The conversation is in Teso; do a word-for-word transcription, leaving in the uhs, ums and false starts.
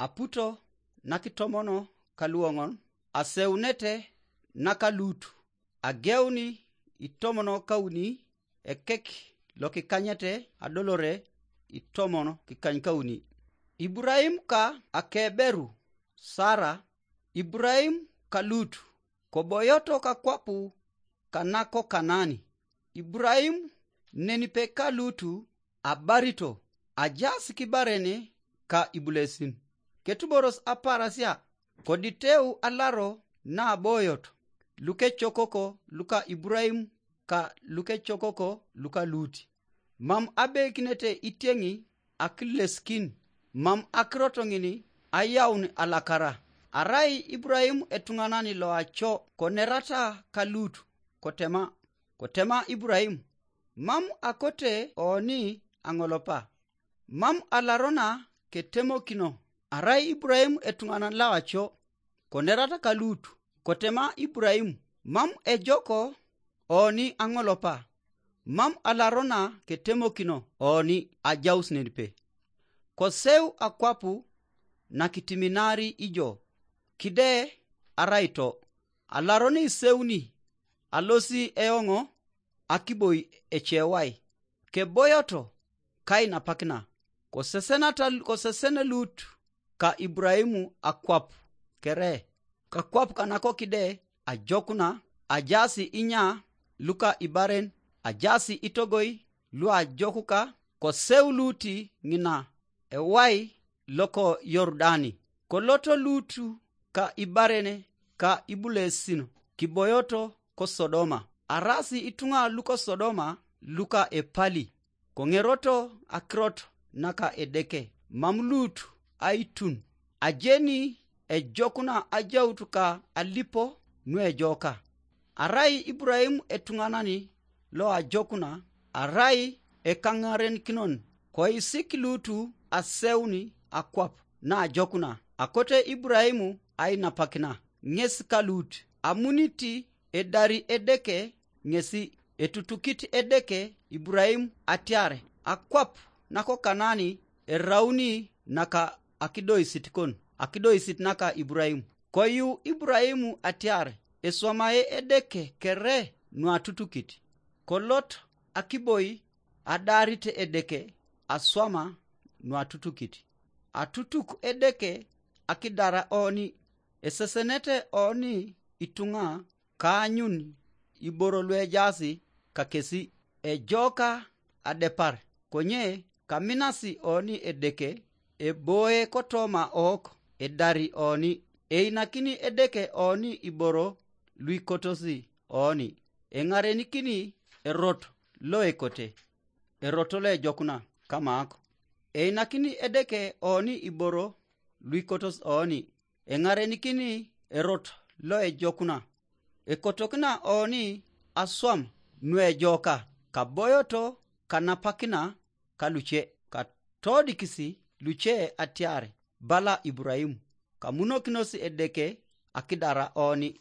aputo nakitomono kaluoŋon, aseunete naka Lutu, ageuni itomono kauni ekek lokikanyete adolore itomon kikany kauni. Iburahim ka akeberu Sara, Iburahim ka Lutu, koboyoto kakwapu kanako Kanani. Iburahim nenipe ka Lutu abarito, ajas kibaren ka ibulesin. Ketuboros aparasia, koditeu alaro naboyot lukecokoko luka Iburahim ka lukecokoko luka Luti. Mam abeikinete itieŋi akileskin, mam akirot ŋini ayaun alakara. Arai Iburahim etuŋanan loaco konerata ka Lutu, kotema, kotema Iburahim, mam akote oni aŋolopa. Mam alarona ketemokino. Arai Iburahim etuŋanan loaco konerata ka Lutu, kotema Iburahim, mam ejoko oni aŋolopa. Mam alarona ketemokino oni ajaus nenipe. Koseu akwapu nakitiminari ijo, kide arai to. Alaroni iseuni, alosi eoŋo akiboi ecewai. Keboyoto kainapakina. Kosesenata, kosesene Lut ka Iburaimu akwap kere, kakwap kanakokide ajokuna, ajasi inya luka ibaren, ajasi itogoi luajokuka, koseu Luti ŋina ewai loko Yordani. Koloto Lutu ka ibaren ka ibulesin kiboyoto ko Sodoma. Arasi ituŋa luko Sodoma luka epali, koŋeroto akirot naka Edeke, mam Lut aitun. Ajeni ejokuna ajaut ka alipo nuejoka. Arai Iburaimu etuŋanani loajokuna, arai ekaŋarenikinoŋ, koisik Lutu aseuni akwap naajokuna, akote Iburaimu ainapakina, ŋes ka Lut. Amunit edari Edeke ŋesi, etutukit Edeke Iburaimu atiar akwap nako Kanani erauni naka akidoisit kon, akidoisit naka Iburaimu. Koyu Iburaimu atiar eswamae Edeke kere nuatutukit. Kolot akiboi adarit Edeke aswama nuatutukit. Atutuk Edeke akidara oni, esesenete oni ituŋa kaanyun iboro luejaasi kakesi, ejoka adepar, konye kaminasi oni Edeke eboe kotoma ok edari oni. Einakini Edeke oni iboro luikotosi oni, eŋarenikini erot loekote, erot loejokuna kamaak. Einakini Edeke oni iboro luikotos oni, eŋarenikini erot loejokuna. Ekotokina oni aswam nuejoka, kaboyoto kanapakina kaluce, katodikisi luce atiar bala Iburaimu, kamunokinos Edeke akidara oni.